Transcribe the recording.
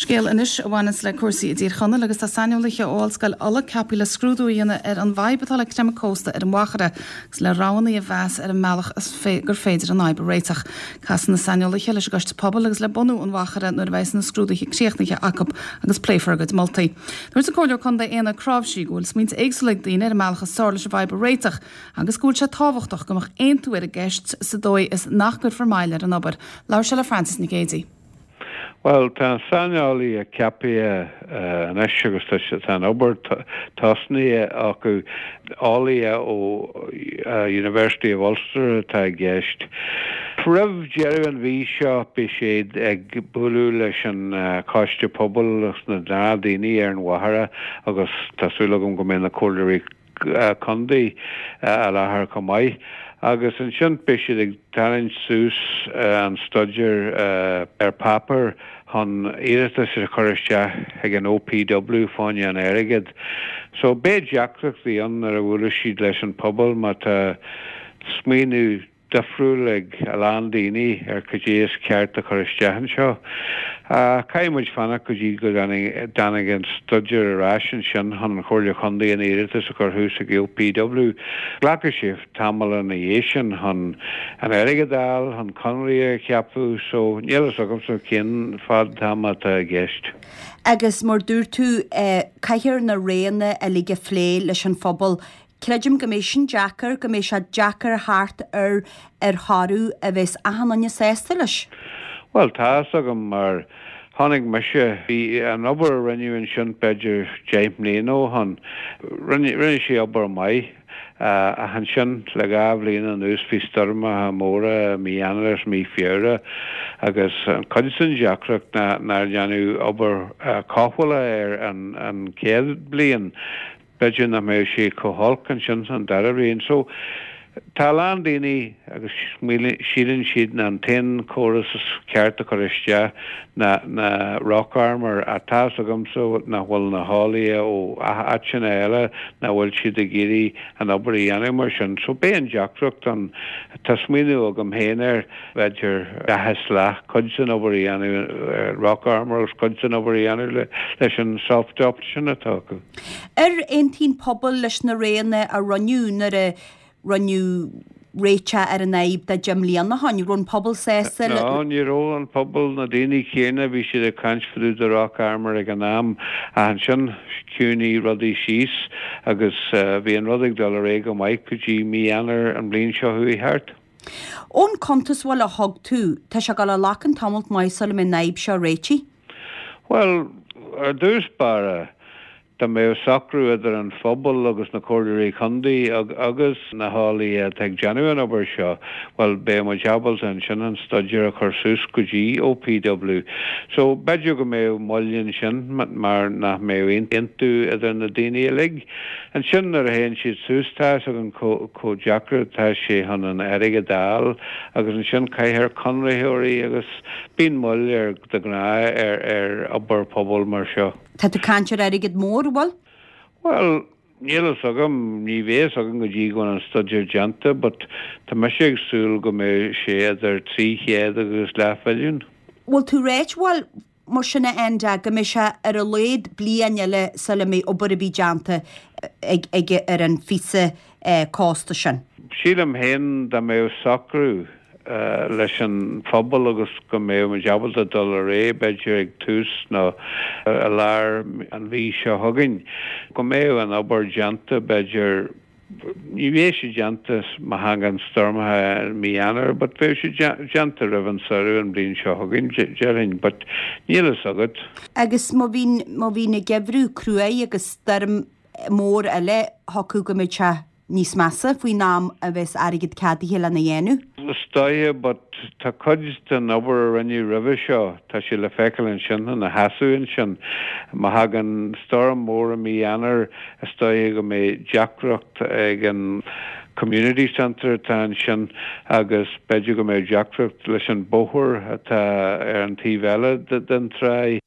Scéal anois a bhaineanns le cúrsaí i dTír Chonaill agus tá saineolaithe ó Ollscoil Uladh ceaptha le scrúdú a dhéanamh ar an bhfadhb atá le creimeadh cósta ar an Mhachaire agus le roghanna a mheas ar an mbealach is gur féidir an fhadhb a réiteach. Casfaidh na saineolaithe leis an gCoiste Pobail agus le bunú an Mhachaire nuair a bheas na scrúduithe críochnaithe acu agus pléifear a gcuid moltaí. Dúirt an Comhairleoir Contae Éanna Cnáimhsí go bhfuil smaointe éagsúla ag daoine ar an mbealach is fearr leis an bhfadhb a réiteach agus go bhfuil sé tábhachtach go mbeadh aontú ar an gceist sa dóigh is nach gcuirfear moill ar an obair. Labhair sé le Frances Nic Géadaigh. Bhuel, tá an saineolaí ceaptha anois agus tá an obair tosnaithe acu. Eolaithe ó University of Ulster atá i gceist. Roimh deireadh an mhí seo beidh siad ag bualadh leis an Choiste Pobail agus na gnáthdaoine ar an Mhachaire agus tá súil agam go mbeidh na comhairleoirí contae i láthair chomh maith agus ansin beidh siad ag tarraingt suas an staidéar ar páipéar chun iarratas a chur isteach chuig an OPW fá choinne an airgead. So beidh deacrachtaí ann nuair a bhuailfidh siad leis an pobal má tá smaoineamh difriúil ag a lán daoine ar cad é is ceart a chur isteach anseo. Caithfidh muid fanacht go dtí go dtáinig an staidéar ar ais ansin chun an Chomhairle Chontae an iarratas a chur thuas ag OPW. Glacfaidh sé tamall ina dhiaidh sin chun an airgead a fháil, chun conairí a cheapadh so níl fhios agamsa cén fad ama atá i gceist. Agus mar dúirt tú, caithfear na roghanna uilig a phlé leis an phobal. Creidim go mbeidh sin deacair, go mbeidh sé deacair theacht ar ar thoradh a bheas achan duine sásta leis. Bhuel, tá fhios agam mar chonaic mise, bhí an obair a rinneadh ansin b'fhéidir 10 mbliana ó shoin, rinne, rinne sé obair maith ach ansin le 2 bhliain anuas bhí stoirmeacha móra i mí Eanáir agus mí Feabhra agus an cuid den deacracht ná nár deineadh obair cothabhála air an an chéad bliain. B'fhéidir nach mbeadh sé chomh holc ansin an dara bhliain. So, tá a lán daoine agus síleann siad ná an t-aon chóras is ceart a chur isteach ná na rock armour ach tá fhios agamsa nach bhfuil na heolaithe ó áiteanna eile nach bhfuil siad ag iarraidh an obair a dhéanamh mar sin. So beidh an deacracht ann. Tá smaoineamh agam féin air. b'fhéidir leath is leath, cuid den obair a dhéanamh rock armour agus cuid den obair a dhéanamh leis an soft option atá acu. Ar aontaigh an pobal leis na roghanna a rinneadh nuair a rinneadh réiteach ar an fhadhb de 10 mbliana ó shoin? Raibh an pobal sásta le. No, ní raibh an pobal, na daoine céanna, bhí siad ag caint fá dtaobh de rock armour ag an am ach ansin chiúnaigh rudaí síos agus bhí an rud ag dul ar aghaidh go maith go dtí mí Eanáir an bhliain seo chuaigh thart. Ón cuntas bhuel a thug tú, tá sé ag dul a ghlacadh tamalt maith sula mbeidh an fhadhb seo réitithe. Bhuel, ar dtús báire, dá mbeadh socrú idir an phobal agus na comhairleoirí contae agus na heolaithe atá ag déanamh an obair seo, bhuel, beidh muid ábalta ansin an staidéar a chur suas go dtí OPW. So, b'fhéidir go mbeadh moill ansin mar nach mbeadh aontú idir na daoine uilig. Ansin nuair a théann siad suas tá fhios againn chomh deacair atá sé chun an airgead a fháil agus ansin caithfear conraitheoirí agus bíonn moill ar de ghnáth ar ar obair pobail mar seo. Tá tú ag caint ar airgead mór, an bhfuil? Bhuel, níl fhios agam, ní bheidh fhios agam go dtí go bhfuil an staidéar déanta but tá mise ag súil go mbeidh sé idir 300 agus leathmhilliún. Bhfuil tú ráit, bhuel, Mar sin, a Enda, go mbeidh sé ar a laghad bliain eile sula mbeidh obair ar bith déanta ag ar an phíosa cósta sin. Sílim féin dá mbeadh socrú leis an phobal agus go mbeadh muid ábalta dul ar aghaidh, b'fhéidir ag tús nó i lár an mhí seo chugainn, go mbeadh an obair déanta b'fhéidir Ní bheidh sé déanta má thagann stoirmeacha i mí Eanáir but bheadh sé déanta roimh an samhradh an bhliain seo chugainn, déarfainn, but níl fhios agat. Agus má bhíonn, má bhíonn an geimhreadh cruaidh agus stoirm mór eile, thiocfadh go mbeidh sé níos measa faoin am a bheas airgead ceadaithe lena dhéanamh. Is dóiche, but tá cuid den obair a rinneadh roimhe seo, tá sé le feiceáil ansin ina sheasamh ansin. Má thagann stoirm mór i mí Eanáir, Is dóiche go mbeidh deacracht ag an community centre atá ansin agus b'fhéidir go mbeidh deacracht leis an bóthar atá ar an taobh eile den tráigh.